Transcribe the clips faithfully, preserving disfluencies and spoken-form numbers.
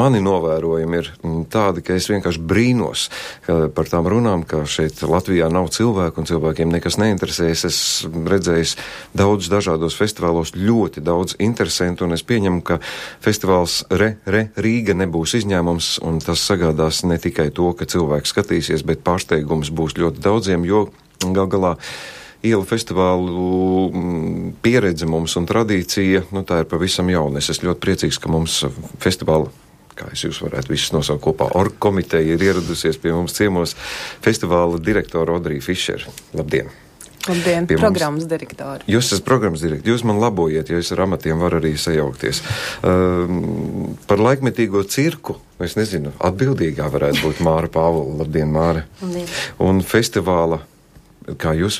Mani novērojumi ir tādi, ka es vienkārši brīnos par tām runām, ka šeit Latvijā nav cilvēku un cilvēkiem nekas neinteresējas. Es redzēju daudz dažādos festivālos, ļoti daudz interesantu, un es pieņemu, ka festivāls Re, Re, Rīga nebūs izņēmums, un tas sagādās ne tikai to, ka cilvēki skatīsies, bet pārsteigums būs ļoti daudziem, jo gal galā ielu festivālu pieredze mums un tradīcija, nu tā ir pavisam jauna. Es esmu ļoti priecīgs, ka mums festivāla, kā es jūs varētu visus nosaukt kopā, org komiteja ir ieradusies pie mums ciemos festivāla direktora Odrija Fišera. Labdien! Labdien, Pie programmas mums. direktori. Jūs esat programmas direktori, jūs man labojiet, jo es ar amatiem varu arī sajaukties. Um, par laikmetīgo cirku, es nezinu, atbildīgā varētu būt Māra Pāvula. Labdien, Māra! Labdien! Un festivāla, kā jūs,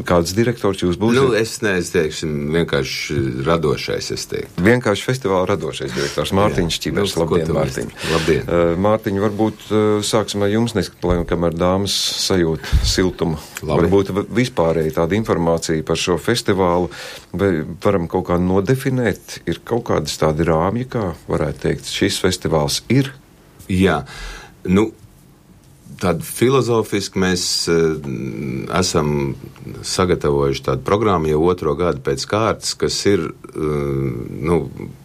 kāds direktors jūs būsiet? Nu, es neizteikšu, vienkārši radošais, es teiktu. Vienkārši festivāla radošais direktors Mārtiņš Čibers. Nu, Labdien, Mārtiņ. Labdien. Uh, Mārtiņ, varbūt uh, sāksim ar jums, neskamēr, kamēr dāmas sajūt siltumu. Labi. Varbūt vispārēji tāda informācija par šo festivālu, vai varam kaut kā nodefinēt, ir kaut kādas tādi rāmji, kā varētu teikt, šis festivāls ir? Jā, nu, tādu filozofiski mēs uh, esam sagatavojuši tādu programmu jau otro gadu pēc kārtas, kas ir, uh, nu,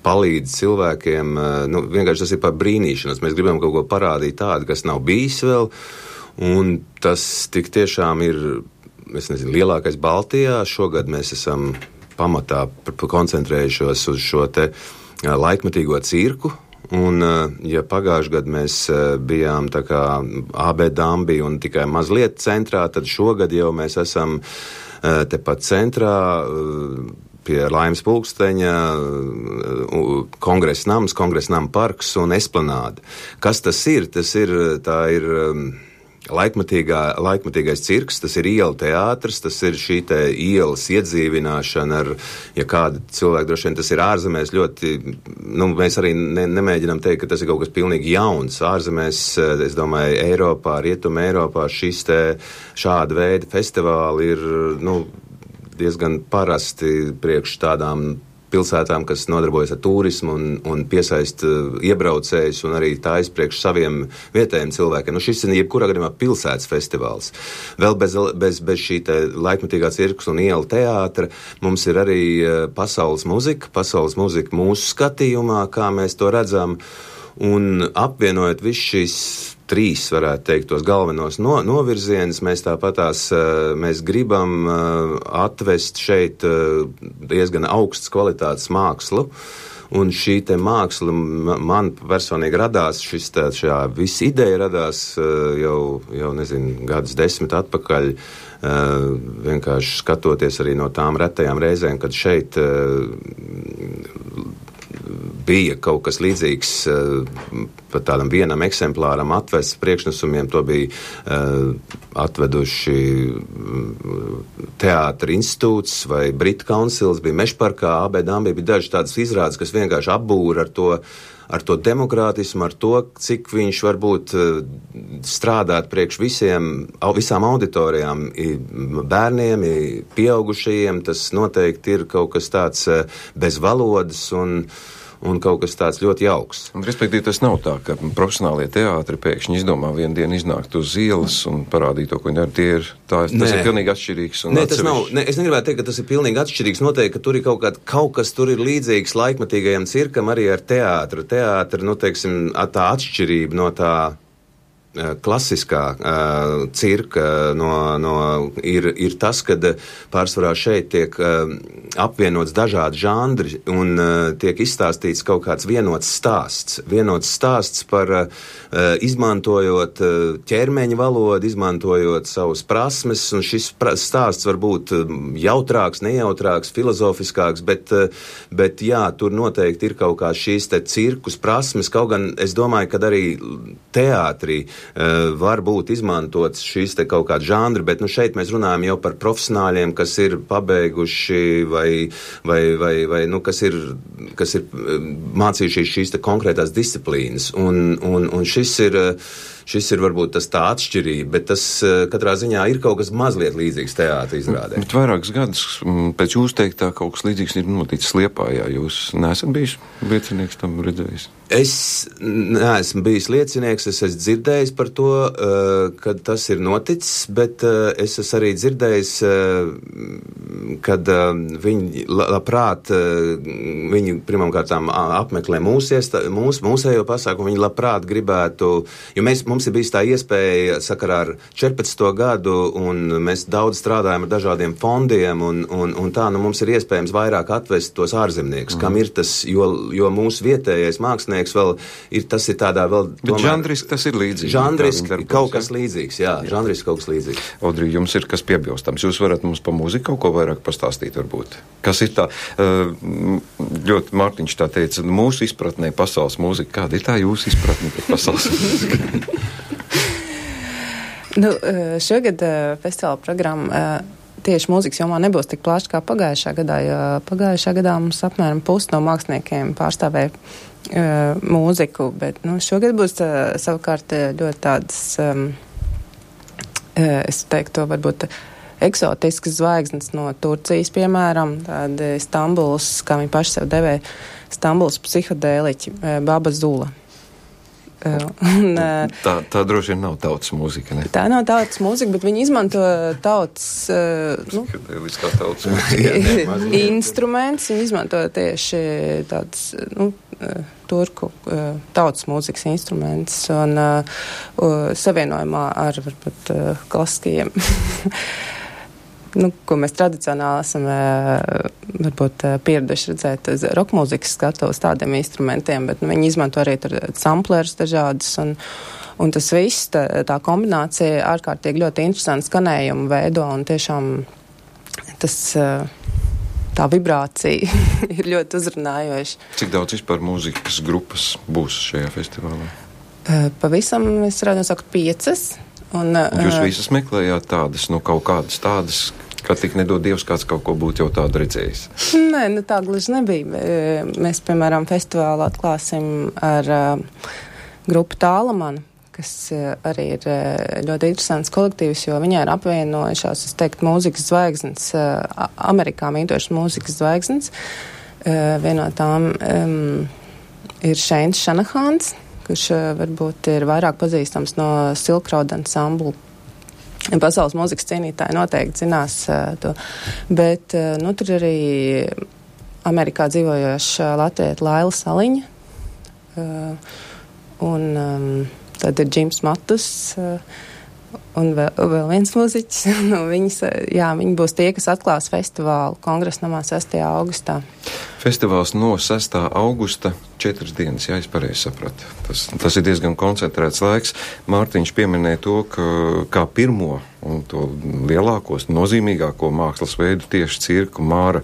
palīdz cilvēkiem, uh, nu, vienkārši tas ir par brīnīšanos. Mēs gribam kaut ko parādīt tādu, kas nav bijis vēl, un tas tik tiešām ir, es nezinu, lielākais Baltijā. Šogad mēs esam pamatā koncentrējušos uz šo te uh, laikmetīgo cirku. Un, ja pagājušajā gadā mēs bijām tā kā A B Dambi un tikai mazliet centrā, tad šogad jau mēs esam tepat centrā pie Laimes pulksteņa, kongresa nams, kongresa nama parks un esplanāde. Kas tas ir? Tas ir, tā ir Laikmatīgā, laikmatīgais cirks, tas ir ielu teātris, tas ir šī te ielas iedzīvināšana ar, ja kādi cilvēki droši vien tas ir ārzemēs ļoti, nu, mēs arī ne, nemēģinām teikt, ka tas ir kaut kas pilnīgi jauns. Ārzemēs, es domāju, Eiropā, Rietuma Eiropā šis te šāda veida festivāli ir, nu, diezgan parasti priekš tādām pilsētām, kas nodarbojas ar turismu un, un piesaist iebraucējus un arī tājas priekš saviem vietējiem cilvēkiem. Nu, šis ir jebkurā gadījumā pilsētas festivāls. Vēl bez, bez, bez šī te laikmetīgā cirkus un iela teātra mums ir arī pasaules muzika, pasaules muzika mūsu skatījumā, kā mēs to redzam, un apvienojot visu šīs trīs, varētu teikt, tos galvenos no, novirzienus, mēs tāpatās, mēs gribam atvest šeit diezgan augsts kvalitātes mākslu, un šī te māksla man personīgi radās, šis tā, šā visa ideja radās jau, jau nezinu, gadus desmit atpakaļ, vienkārši skatoties arī no tām retajām reizēm, kad šeit bija kaut kas līdzīgs pat tādam vienam eksemplāram atvests priekšnesumiem, to bija uh, atveduši Teātra institūts vai Britu kauncils, bija Mežparkā, A B Dambi, bija daži tādas izrādes, kas vienkārši apbūra ar to, ar to demokrātismu, ar to, cik viņš var būt strādāt priekš visiem, visām auditorijām, bērniem, pieaugušajiem, tas noteikti ir kaut kas tāds bez valodas un un kaut kas tāds ļoti jauks. Un, respektīvi, tas nav tā, ka profesionālie teātri pēkšņi izdomā vienu dienu iznākt uz ielas un parādīt to, ko viņi dara. Tie ir, tā, tas Nē. ir pilnīgi atšķirīgs. Un Nē, tas nav, ne, es negribētu teikt, ka tas ir pilnīgi atšķirīgs. Noteikti, ka tur ir kaut, kā, kaut kas tur ir līdzīgs laikmatīgajam cirkam arī ar teātru. Teātri, nu, teiksim, tā atšķirība no tā klasiskā uh, cirka no, no, ir, ir tas, kad pārsvarā šeit tiek uh, apvienots dažādi žanri un uh, tiek izstāstīts kaut kāds vienots stāsts. Vienots stāsts par uh, izmantojot uh, ķermeņa valodu, izmantojot savus prasmes, un šis pra- stāsts var būt jautrāks, nejautrāks, filozofiskāks, bet, uh, bet jā, tur noteikti ir kaut kā šīs te cirkus prasmes, kaut gan es domāju, ka arī teātrī Uh, var būt izmantots šīs te kaut kādi žanri, bet nu šeit mēs runājam jau par profesionāļiem, kas ir pabeiguši vai, vai, vai, vai nu, kas ir, kas ir mācījušies šīs te konkrētās disciplīnas. Un, un, un šis ir, šis ir varbūt tas tā atšķirība, bet tas katrā ziņā ir kaut kas mazliet līdzīgs teātra izrādē. Bet vairākus gadus pēc jūs teiktā kaut kas līdzīgs ir noticis Liepājā. Jūs neesat bijis liecinieks tam redzējis? Es neesmu bijis liecinieks, es esmu dzirdējis par to, kad tas ir noticis, bet es esmu arī dzirdējis, kad viņi labprāt, viņi pirmkārtām apmeklē mūsu, mūsu, mūsējo pasākumu, viņi labprāt gribētu, jo mēs, mums ir bijis tā iespēja sakarā ar četrpadsmito gadu, un mēs daudz strādājam ar dažādiem fondiem, un, un, un tā, nu mums ir iespējams vairāk atvest tos ārzemniekus, mm. kam ir tas, jo, jo mūsu vietējais mākslinieks vēl ir, tas ir tādā vēl... Bet žanriski tas ir līdzīgs. Žanriski kaut kas līdzīgs, jā, jā. Žanriski kaut kas līdzīgs. Audrī, jums ir kas piebilstams. Jūs varat mums pa mūziku kaut ko vairāk pastāstīt, varbūt. Kas ir tā, ļoti Mārtiņš tā teica, mūsu izpratnē pasaules mūzika. Kāda ir tā jūsu izpratne par pasaules mūziku? Nu, šogad festivāla programma tieši mūzikas jomā nebūs tik plaša kā pagājušā gadā, jo pagājušā gadā mums apmēram pusi no māksliniekiem pārstāvēja uh, mūziku, bet nu, šogad būs uh, savukārt ļoti tādas, um, uh, es teiktu, varbūt eksotiskas zvaigznes no Turcijas, piemēram, tāda Stambuls, kā viņi paši sev devē, Stambuls psihodēliķi, uh, Baba Zula. Un, tā, tā droši vien nav tautas mūzika, ne? Tā nav tautas mūzika, bet viņi izmanto tautas, nu, tautas mūzika. instruments, viņi izmanto tieši tāds, nu, turku tautas mūzikas instruments un uh, savienojumā ar, varbūt, klasiskajiem, nu, ko mēs tradicionāli esam varbūt pieraduši redzēt roka mūzikas skatuves tādiem instrumentiem, bet nu, viņi izmanto arī tur samplerus dažādas, un, un tas viss, tā, tā kombinācija ārkārtīgi ļoti interesanti skanējumu veido, un tiešām tas, tā vibrācija ir ļoti uzrunājoša. Cik daudz vispār mūzikas grupas būs šajā festivālā? Pavisam, es varētu nosaukt piecas. Un, Jūs visas meklējāt tādas, nu kaut kādas tādas, ka tik nedod Dievs kāds kaut ko būtu jau tādu redzējis? Nē, nu tā gluži nebija. Mēs, piemēram, festivālu atklāsim ar uh, grupu Tālamanu, kas uh, arī ir uh, ļoti interesants kolektīvs, jo viņai ir apvienojušās, es teiktu, mūzikas zvaigznes, uh, Amerikā mītošas mūzikas zvaigznes. Uh, Viena no tām um, ir Šeins Šanahāns, kurš uh, varbūt ir vairāk pazīstams no Silk Road ansamblu. Pasaules mūzikas cienītāji noteikti zinās uh, to. Bet, uh, nu, tur arī Amerikā dzīvojoša latvieta Laila Saliņa. Uh, un um, tad ir Džims Matus uh, un vēl, vēl viens mūziķis. nu, viņas, jā, viņi būs tie, kas atklās festivālu Kongresnamā sestajā augustā. Festivāls no sestā augusta četras dienas, jā, es pareizi sapratu. Tas, tas ir diezgan koncentrēts laiks. Mārtiņš pieminēja to, ka kā pirmo un to lielākos, nozīmīgāko mākslas veidu tieši cirku Māra.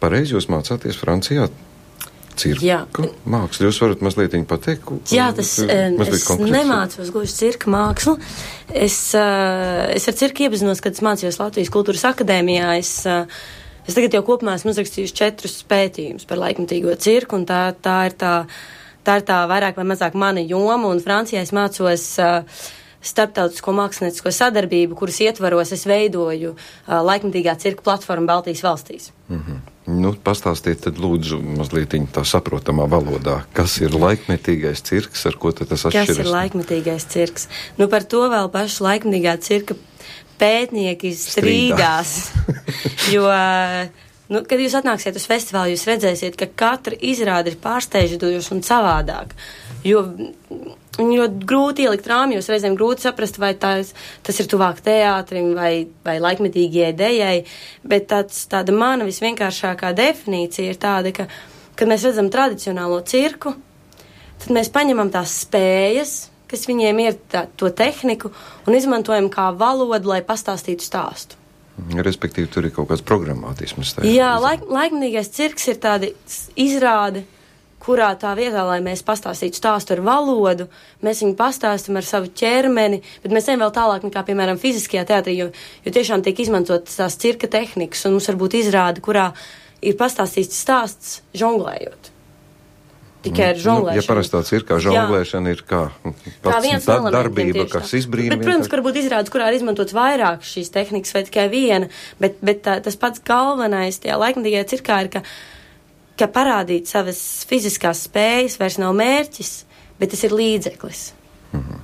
Pareizi jūs mācāties Francijā? Cirku jā. Mākslu. Jūs varat mazliet viņu pateikt? Jā, tas, es konkrēts. Nemācos gluži cirka mākslu. Es, es ar cirku iepazinos, kad es mācījos Latvijas Kultūras akadēmijā. Es, Es tagad jau kopumā esmu uzrakstījuši četrus pētījumus par laikmatīgo cirku, un tā, tā, ir tā, tā ir tā vairāk vai mazāk mana joma, un Francijā es mācos uh, starptautisko māksliniecisko sadarbību, kuras ietvaros es veidoju uh, laikmatīgā cirka platformu Baltijas valstīs. Mm-hmm. Nu, pastāstiet tad lūdzu mazliet tā saprotamā valodā, kas ir laikmetīgais cirks, ar ko tad tas atšķiras? Kas ir laikmetīgais cirks? Nu, par to vēl pašu laikmetīgā cirka pētnieki strīdās, jo, nu, kad jūs atnāksiet uz festivālu, jūs redzēsiet, ka katra izrāde ir pārsteidzoša un savādāk, jo ļoti grūti ielikt rāmjos, reizēm grūti saprast, vai tās, tas ir tuvāk teātrim vai, vai laikmetīgajai idejai, bet tāds, tāda mana visvienkāršākā definīcija ir tāda, ka, kad mēs redzam tradicionālo cirku, tad mēs paņemam tās spējas, kas viņiem ir tā, to tehniku, un izmantojam kā valodu, lai pastāstītu stāstu. Respektīvi, tur ir kaut kāds programmātisms. Jā, laik, laikmetīgais cirks ir tāda izrāde, kurā tā vietā, lai mēs pastāstītu stāstu ar valodu, mēs viņu pastāstam ar savu ķermeni, bet mēs ejam vēl tālāk nekā, piemēram, fiziskajā teātrī, jo, jo tiešām tiek izmantot tās cirka tehnikas, un mums varbūt izrāde, kurā ir pastāstīts stāsts žonglējot. tikai ar žonglēšanu. Nu, ja parastā cirkā žonglēšana ir kā, kā viens tā darbība, kas izbrīna. Bet, protams, ka varbūt izrādes, kurā ir izmantots vairāk šīs tehnikas vai tikai viena, bet, bet tā, tas pats galvenais tajā laikmatīgajā cirkā ir, ka, ka parādīt savas fiziskās spējas vairs nav mērķis, bet tas ir līdzeklis. Mhm.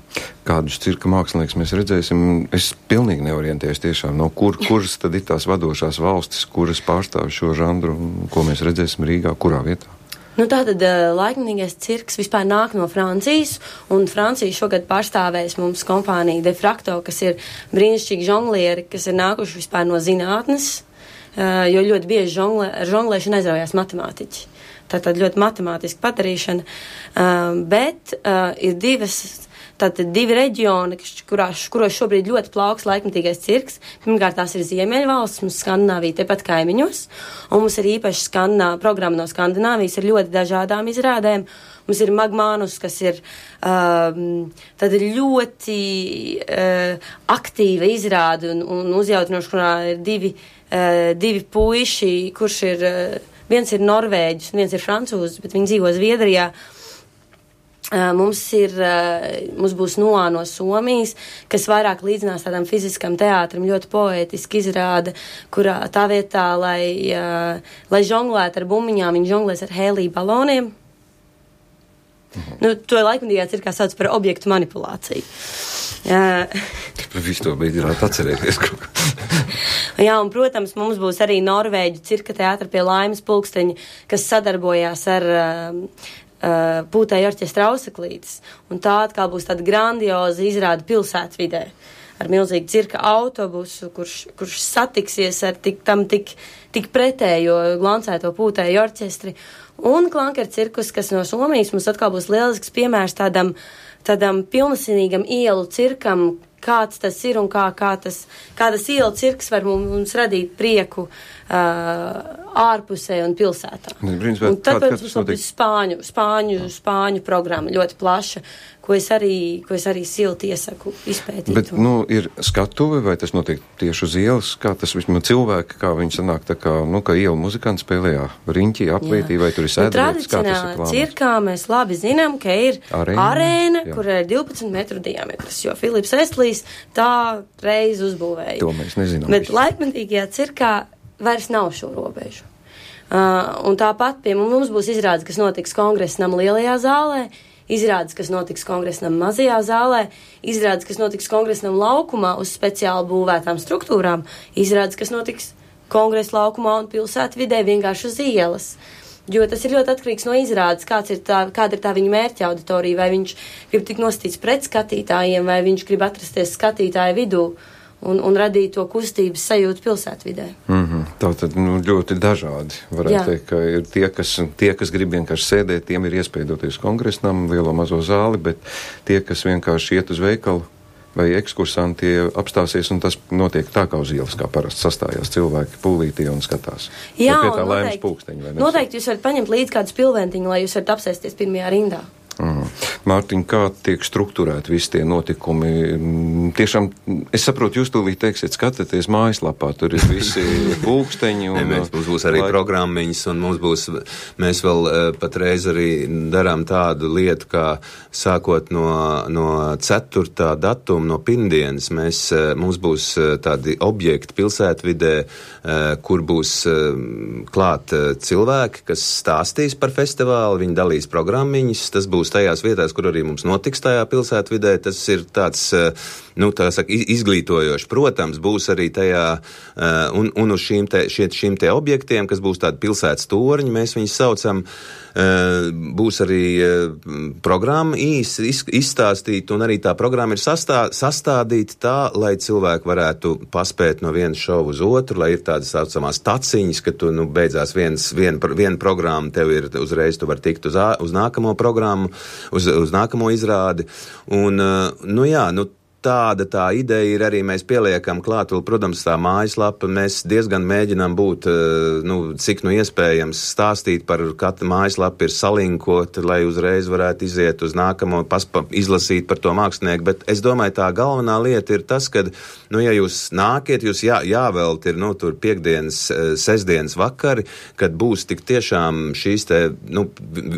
Kādus cirka mākslinieks mēs redzēsim, es pilnīgi neorientējos tiešām, no kur, kuras tad ir tās vadošās valstis, kuras pārstāv šo žanru, ko mēs redzēsim Rīgā, kurā vietā? Nu, tātad laikmatīgais cirks vispār nāk no Francijas, un Francija šogad pārstāvēs mums kompānija De Fracto, kas ir brīnišķīgi žonglieri, kas ir nākuši vispār no zinātnes, jo ļoti bieži žonglē, ar žonglēšanu aizraujās matemātiķi. Tātad ļoti matemātiski padarīšana, bet ir divas Tātad divi reģioni, kurās, kuros šobrīd ļoti plauks laikmatīgais cirks. Pirmkārt, tās ir Ziemeļvalsts, mums Skandināvija tepat kaimiņos, un mums ir īpaši skandinā, programma no Skandināvijas ar ļoti dažādām izrādēm. Mums ir Magmanus, kas ir um, tad ļoti uh, aktīva izrāde un, un uzjautinoša, kurā ir divi, uh, divi puiši, kurš ir, uh, viens ir norvēģis un viens ir francūzis, bet viņi dzīvo Zviedrijā. Uh, mums ir, uh, mums būs Noā no Somijas, kas vairāk līdzinās tādam fiziskam teātrim, ļoti poētiski izrāda, kurā tā vietā, lai, uh, lai žonglētu ar bumbiņām, viņi žonglēs ar hēlija baloniem. Mhm. Nu, to laikmatīgā cirkā sauc par objektu manipulāciju. Uh, Visu to beidzināt atcerēties kaut kā. Jā, un, protams, mums būs arī Norvēģu cirka teātra pie Laimas pulksteņa, kas sadarbojās ar uh, Uh, Pūtēju orķestra Auseklītes, un tā atkal būs tāda grandioza izrāda pilsētvidē ar milzīgu cirka autobusu, kurš, kurš satiksies ar tik, tam tik, tik pretējo glancēto Pūtēju orķestri, un Klanker cirkus, kas no Somijas mums atkal būs lielisks piemērs tādam, tādam pilnasinīgam ielu cirkam, kāds tas ir un kā, kā, tas, kā tas ielu cirks var mums, mums radīt prieku uh, ārpusē un pilsētā. Brīns, un tad, kād, protams, mums būs spāņu, spāņu, spāņu programma ļoti plaša, ko es arī, ko es arī silti iesaku izpētīt. Bet, nu, ir skatuve, vai tas notiek tieši uz ielas, kā tas vismaz cilvēki, kā viņi sanāk, tā kā, nu, kā ielu muzikanti spēlējā riņķī, aplītī, vai tur ir sēdvietas, kā tas ir plānots? Tradicionāli cirkā mēs labi zinām, ka ir arēna, arēna kur ir divpadsmit metru diametrs, jo Filips Estlīs tā reiz uzbūvēja. To mēs nezinām. Bet laikmatīgajā cirkā vairs nav šo robežu. Uh, un tāpat pie mums būs izrādes, kas notiks Kongresa nama lielajā zālē, izrādes, kas notiks Kongresa nama mazajā zālē, izrādes, kas notiks Kongresa nama laukumā uz speciāli būvētām struktūrām, izrādes, kas notiks Kongresa laukumā un pilsētvidē vienkārši uz ielas. Jo tas ir ļoti atkarīgs no izrādes, kāds ir tā, kāda ir tā viņa mērķa auditorija, vai viņš grib tik nostīts pret skatītājiem, vai viņš grib atrasties skatītāju vidū un, un radīt to kustības sajūtu pilsētvidē. Mm-hmm. Tā tad nu, ļoti dažādi. Varētu Jā. teikt, ka ir tie kas, tie, kas grib vienkārši sēdēt, tiem ir iespēja doties kongresnam, lielo mazo zāli, bet tie, kas vienkārši iet uz veikalu vai ekskursanti apstāsies, un tas notiek tā kā uz ielas, kā parasti sastājās cilvēki pūlītī un skatās. Jā, un noteikti, pulksteņi, noteikti jūs varat paņemt līdz kādu spilventiņu, lai jūs varat apsēsties pirmajā rindā. Mm. Mārtiņ, kā tiek strukturēti visi tie notikumi? Tiešām, es saprotu, jūs tūlīt teiksiet, skatāties mājaslapā, tur ir visi pulksteņi. Un, ne, mēs, mums būs arī lai... programmiņas, un mums būs, mēs vēl patreiz arī darām tādu lietu, kā sākot no, no ceturtā datuma, no pirmdienas, mēs, mums būs tādi objekti pilsētvidē, kur būs klāt cilvēki, kas stāstīs par festivālu, viņi dalīs programmiņas, tas būs tajās vietās, kur arī mums notiks tajā pilsētvidē, tas ir tāds, nu, tā saka, izglītojoši. Protams, būs arī tajā, un, un uz šīm te, šie, šīm te objektiem, kas būs tādi pilsētas torņi, mēs viņus saucam, būs arī programma īsi izstāstīt, un arī tā programma ir sastā, sastādīta tā, lai cilvēki varētu paspēt no vienas šovu uz otru, lai ir tādas saucamās taciņas, ka tu, nu, beidzās viens, viena, viena programma, tev ir uzreiz, tu var tikt uz, uz nākamo programmu, uz, uz nākamo izrādi. Un, nu jā, nu, tāda tā ideja ir arī mēs pieliekam klāt, vēl, protams, tā mājaslapa, mēs diezgan mēģinām būt, nu, cik nu iespējams stāstīt par katru mājaslapu ir salinkot, lai uzreiz varētu iziet uz nākamo, paspa, izlasīt par to mākslinieku, bet es domāju, tā galvenā lieta ir tas, ka, nu, ja jūs nākiet, jūs jā, jāvelt ir, nu, tur piekdienas, sestdienas vakari, kad būs tik tiešām šīs te, nu,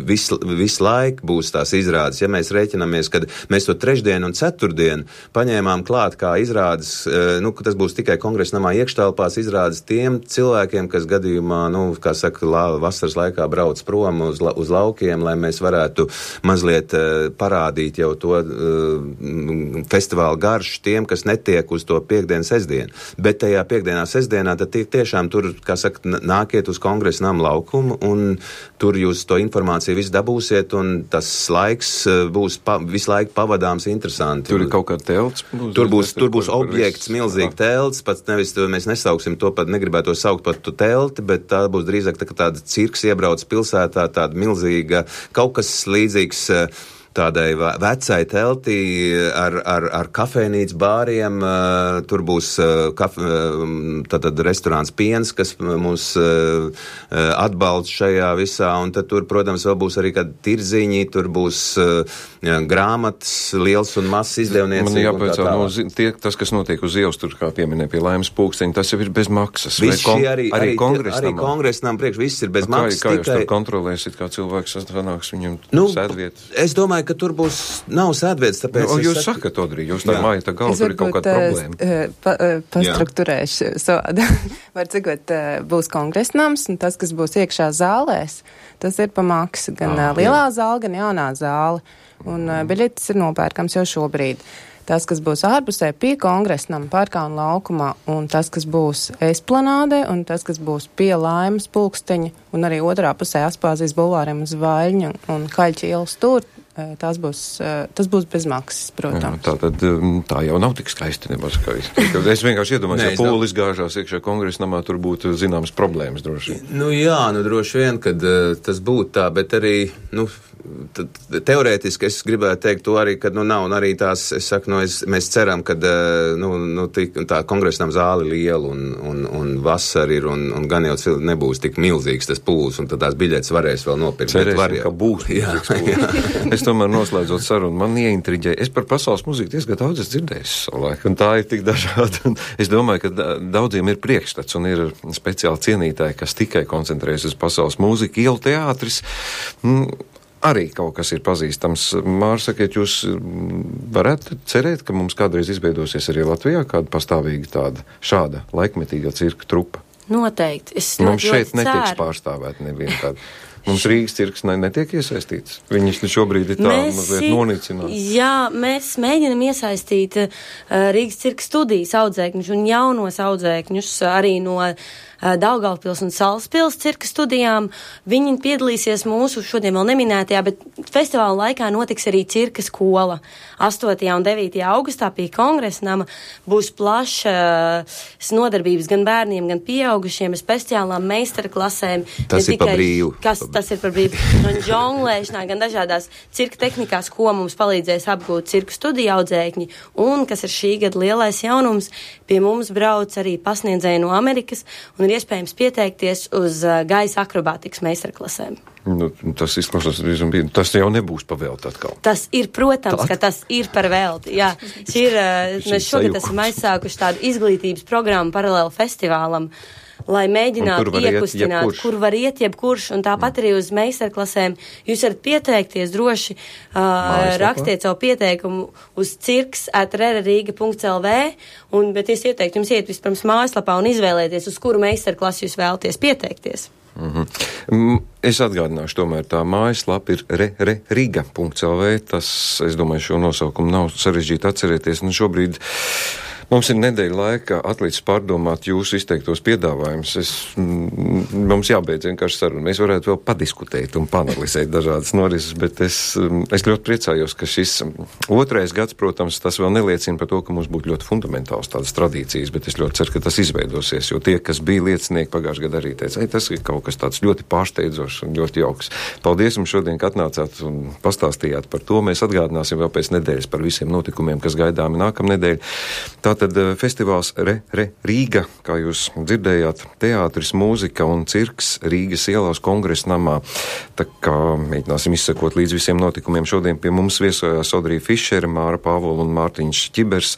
visu, visu laiku būs tās izrādes. Ja mēs rēķinamies, kad mēs to trešdienu un ceturtdienu paņēmām klāt kā izrādes, nu, ka tas būs tikai kongresa namā iekštelpās izrādes tiem cilvēkiem, kas gadījumā, nu, kā saka, la, vasaras laikā brauc prom uz, la, uz laukiem, lai mēs varētu mazliet uh, parādīt jau to uh, festivālu garšu tiem, kas netiek uz to piekdienu, sestdienu. Bet tajā piekdienā, sestdienā, tad tie, tiešām tur, kā saka, nākiet uz kongresa namu laukumu un tur jūs to informāciju visu dabūsiet un tas laiks būs pa, visu laiku pavadāms interesanti. Tur ir kaut kā telts? Būs, tur būs, tur būs objekts, milzīgi telts, pats nevis, mēs nesauksim to pat, negribētu to saukt pat tu telti, bet tā būs drīzāk tā, tāda cirks iebrauc pilsētā, tāda milzīga, kaut kas līdzīgs tādai vecai teltī ar, ar, ar kafejnīcu bāriem, tur būs kaf, tātad restorāns Piens, kas mūs atbalsta šajā visā, un tad tur, protams, vēl būs arī kādi tirziņi, tur būs jā, grāmatas, liels un mazs izdevniecība. Man jāpēc, no, tie, tas, kas notiek uz ielas, tur kā pieminē pie Laimas pulksteņa, tas jau ir bez maksas. Viss kon, arī, arī, arī kongresnam priekš, viss ir bez kā, maksas. Kā tikai... jūs tur kontrolēsiet, kā cilvēks sanāks viņam nu, sēdvietas? Es domāju, ka tur būs, nav sēdvietas, tāpēc... Nu, jūs saku... sakat, Odrī, jūs tā māja, tā galva, tur ir kaut kāda problēma. Pa, pastrukturēšu sodu. Var cikot, būs kongresnams, un tas, kas būs iekšā zālēs, tas ir pa maksu. Gan ah, lielā jā. Zāle, gan jaunā zāle. Un mm. biļetes ir nopērkams jau šobrīd. Tas, kas būs ārpusē pie kongresnam, parkā un laukumā, un tas, kas būs Esplanādē, un tas, kas būs pie Laimas pulksteņa, un arī otrā pusē Aspāzijas bulvāriem uz Vaļņu un Kaļķa ielas tur, tas būs, tas būs bez maksas, protams. Jā, tā, tad, tā jau nav tik skaisti nebaz skaisti. Es vienkārši iedomājos, ja pūlis gāžās iekšā kongresnamā, tur būtu zināmas problēmas droši. Nu jā, nu droši vien, kad uh, tas būtu tā, bet arī, nu, tad, teorētiski es gribētu teikt to arī, kad, nu, nav, un arī tās, es saku, nu, es, mēs ceram, kad, uh, nu, nu, tik, tā kongresnam zāli liela un, un, un vasar ir, un, un gan jau nebūs tik milzīgs tas pūlis, un tad tās biļetes varēs vēl nopirkt. Cerēsim, var, ka būs. Jā, jā. Es tomēr noslēdzot sarunu, man ieintriģēja. Es par pasaules mūziku diezgan daudz es dzirdēju savulaik, un tā ir tik dažāda. Un es domāju, ka daudziem ir priekšstats un ir speciāli cienītāji, kas tikai koncentrējas uz pasaules mūziku. Ielu teātris m, arī kaut kas ir pazīstams. Māra, sakiet, jūs varētu cerēt, ka mums kādreiz izveidosies arī Latvijā kāda pastāvīga tāda šāda laikmetīga cirka trupa? Noteikti. Es mums šeit ceru. netiks pārstāvēt neviena tāda. Mums Rīgas cirks ne, netiek iesaistīts. Viņas šobrīd ir tā mēs, mazliet nonicināts. Jā, mēs mēģinam iesaistīt uh, Rīgas cirka studijas audzēkņus un jaunos audzēkņus arī no uh, Daugavpils un Salaspils cirka studijām. Viņi piedalīsies mūsu šodien vēl neminētajā, bet festivāla laikā notiks arī cirka skola. astotajā un devītajā augustā pie kongresnama būs plaša uh, nodarbības gan bērniem, gan pieaugušiem ar speciālām meistarklasēm. Tas ir pa brīvu. Kas tas ir par brīvu. Gan žonglēšanā, gan dažādās cirka tehnikās, ko mums palīdzēs apgūt cirku studiju audzēkņi. Un, kas ir šī gada lielais jaunums, pie mums brauc arī pasniedzēji no Amerikas un ir iespējams pieteikties uz uh, gaisa akrobātikas meistarklasēm. Nu, tas izklausās diezgan bīdami. Tas jau nebūs pa velti atkal. Tas ir, protams, Tād? ka tas ir par velti. Jā, šī ir, uh, mēs šogad esam aizsākuši tādu izglītības programmu paralēli festivālam, lai mēģinātu iekustināt, kur var iet jebkurš, un tāpat arī uz meistarklasēm. Jūs varat pieteikties droši, uh, rakstiet savu pieteikumu uz cirks at rerariga punkt l v, un, bet es ieteiktu jums iet vispirms mājaslapā un izvēlēties, uz kuru meistarklasu jūs vēlaties pieteikties. Mm-hmm. Es atgādināšu, tomēr tā mājaslapa ir rerariga punkt l v. Tas, es domāju, šo nosaukumu nav sarežģīti atcerēties. Nu, šobrīd Mums ir nedēļa laika atlicis pārdomāt jūsu izteiktos piedāvājumus. Es, m, mums jābeidz vienkārši saruna. Mēs varētu vēl padiskutēt un panalizēt dažādas norises, bet es, es ļoti priecājos, ka šis otrais gads, protams, tas vēl neliecina par to, ka mums būtu ļoti fundamentāls tādas tradīcijas, bet es ļoti ceru, ka tas izveidosies, jo tie, kas bija liecinieki pagājušajā gadā arī teica, ei, tas ir kaut kas tāds ļoti pārsteidzošs un ļoti jauks. Paldies jums šodien, ka atnācāt un pastāstījāt par to. Mēs atgādināsim vēl pēc nedēļas par visiem notikumiem, kas gaidāmi nākamnedēļ. Tātad festivāls Re, Re, Rīga, kā jūs dzirdējāt, teātris, mūzika un cirks Rīgas ielās Kongresa namā. Tā kā mēģināsim izsekot līdz visiem notikumiem. Šodien pie mums viesojās Audrija Fišere, Māra Pāvola un Mārtiņš Ķibers.